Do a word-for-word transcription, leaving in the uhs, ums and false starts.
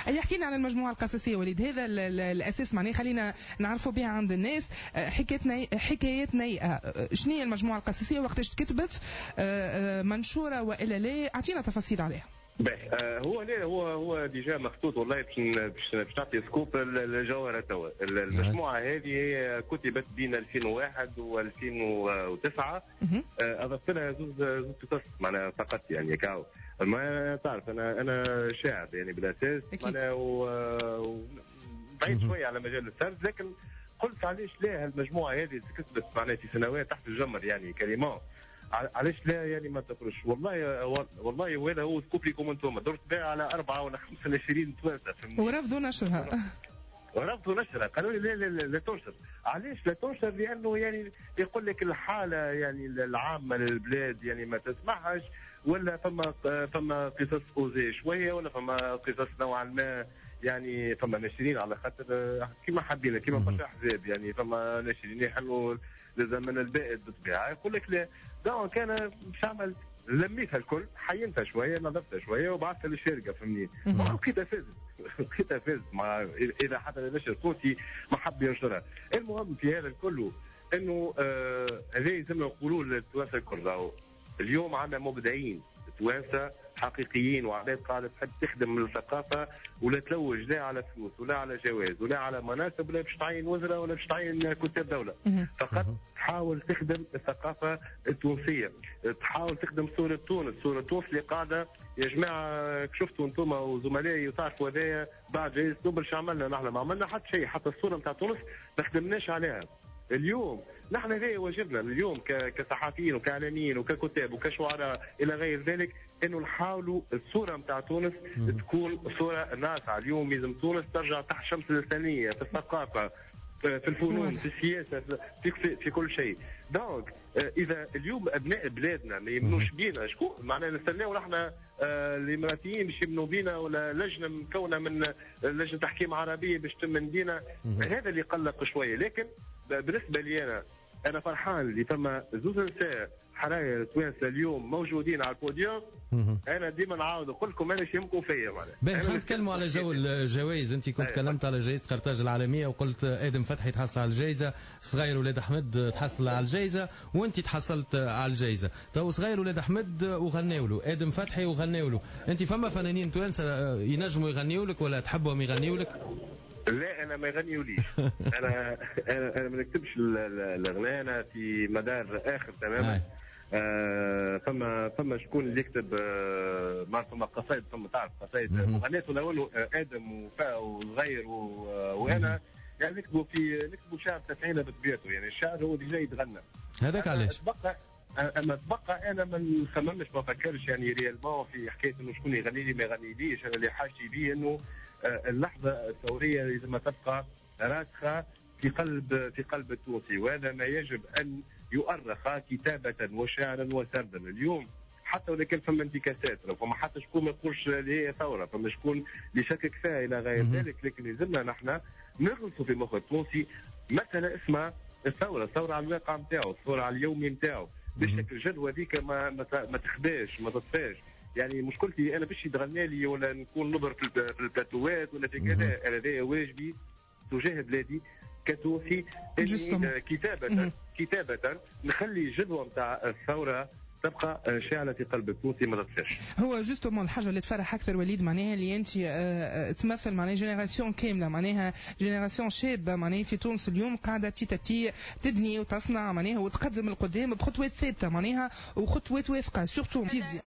يحكي لنا على المجموعة القصصيه وليد، هذا الاساس معناها خلينا نعرفوا بها عند الناس. حكايات ني... حكايات نيئه، شنو هي المجموعة القصصيه؟ وقتاش تكتبت؟ منشورة والا لا؟ اعطينا تفاصيل عليها. باهي، آه هو لا هو هو déjà مخطوط والله باش باش باش نعطي scoop الجوهرة توا. المجموعة هذه هي كتبت بين ألفين وواحد و ألفين وتسعة، آه اضفت لها زوز زوز قصص معناها فقط يعني كاو. ما تعرف انا انا شاعر يعني بالاساس معناها و بعيد شوية على مجال السرد، لكن قلت علاش لا هالمجموعة هذه كتبت معناها في سنوات تحت الجمر يعني carrément، علاش لا يعني ما تخرجش؟ والله والله وهذا هو scoop لكم انتم، درت بها على أربعة ولا خمسة وعشرين توانسة ورفضوا نشرها. ورفضوا نشرها، قالوا لي لا لا, لا تنشر. علاش لا تنشر؟ لأنه يعني يقول لك الحالة يعني العامة للبلاد يعني ما تسمحش، ولا فما فما قصص osées شوية، ولا فما قصص نوعا ما يعني فما ناشرين على خاطر كيما حبينا كيما برشا احزاب يعني فما ناشرين يحلوا للزمن البائد بالطبيعة، يقول لك لا. donc انا باش نعمل لميتها الكل، حينتها شوية، نظفتها شوية وبعثتها للشركة فهمني. لقيتها فازت لقيتها فازت مع اذا حتى النشر التونسي ما حب ينشرها. المهم في هذا الكل انه آه هذا يلزمنا نقولوا للتوانسه الكل، اليوم عندنا مبدعين توانسة حقيقيين وعباد قاعدة تحب تخدم الثقافة ولا تلوج لا على فلوس ولا على جواز ولا على مناصب ولا باش تعين وزراء ولا باش تعين كتاب دولة، فقط تحاول تخدم الثقافة التونسية، تحاول تخدم صوره تونس، صوره تونس اللي قاعدة يا جماعة شفتوا انتم وزملائي وتعرفوا هذايا بعد جائزة نوبل شو عملنا نحن؟ ما عملنا حتى شيء، حتى الصورة نتاع تونس ما خدمناش عليها. اليوم نحن هذا واجبنا اليوم كصحفيين وكاعلاميين وككتاب وكشعراء الى غير ذلك، انه نحاولوا الصورة نتاع تونس تكون صوره ناصعه. اليوم لازم تونس ترجع تحت شمس الانسانية في الثقافة، في الفنون، في السياسة، في في, في كل شيء. donc اذا اليوم ابناء بلادنا ما يمنوش بينا، شكون معناها نستناو نحن آه الاماراتيين باش يمنوا بينا، ولا لجنة مكونة من لجنة تحكيم عربية باش تمن بينا؟ هذا اللي قلق شوية. لكن بالنسبة لي انا انا فرحان اللي فما زوز نساء حراير توانسة اليوم موجودين على البوديوم. انا ديما نعاود نقول لكم انا يهمكم فيا معناها. باهي، خلينا نتكلموا على جو الجوائز. انت كنت تكلمت على جائزة قرطاج العالمية وقلت ادم فتحي تحصل على الجائزة، صغير ولاد احمد تحصل على الجائزة، وانت تحصلت على الجائزة. تو صغير ولاد احمد وغناوا له، ادم فتحي وغناوا له، انت فما فنانين توانسة ينجموا يغنيوا لك ولا تحبهم يغنيوا لك؟ لا انا ما يغنيوليش. انا انا انا ما نكتبش الاغنية، انا في مدار اخر تماما. آه فما فما شكون اللي يكتب، آه ما فما قصايد، فما تعرف قصايد مغنيات ولا ادم وفاء وصغير وانا يعني نكتبوا في نكتبوا شعر تفعيله بطبيعته، يعني الشعر هو déjà يتغنى. هذاك علاش تبقى اما تبقى انا ما نخممش ما نفكرش يعني réellement في حكاية انه شكون يغني لي ما يغنيليش. انا اللي حاجتي بيه انه اللحظة الثورية لازم تبقى راسخة في قلب في قلب التونسي، وهذا ما يجب ان يؤرخ كتابه وشعرا وسردا. اليوم حتى ولو كان فما انتكاسات، فما حتى شكون ما يقولش اللي هي ثورة، فما شكون اللي شكك فيها الى غير ذلك، لكن لازمنا نحن نغرسوا في مخ التونسي مسالة اسمها الثورة، الثورة على الواقع نتاعو، الثورة على اليومي نتاعو، باش الجدوى هذيك ما ما تخباش ما تطفاش. يعني مشكلتي انا باش يتغنى لي ولا نكون نظهر في البلاتوات ولا في كذا، انا هذا واجبي تجاه بلادي كتونسي اني كتابه كتابه نخلي الجدوى نتاع الثورة تبقى شاعلة في قلب التونسي ما تطفاش. هو justement الحاجة اللي تفرح اكثر وليد معناها اللي انت تمثل معناها génération كاملة، معناها génération شابه معناها في تونس اليوم قاعدة petit à petit تبني وتصنع معناها وتقدم القدام بخطوات ثابتة معناها وخطوات واثقة surtout.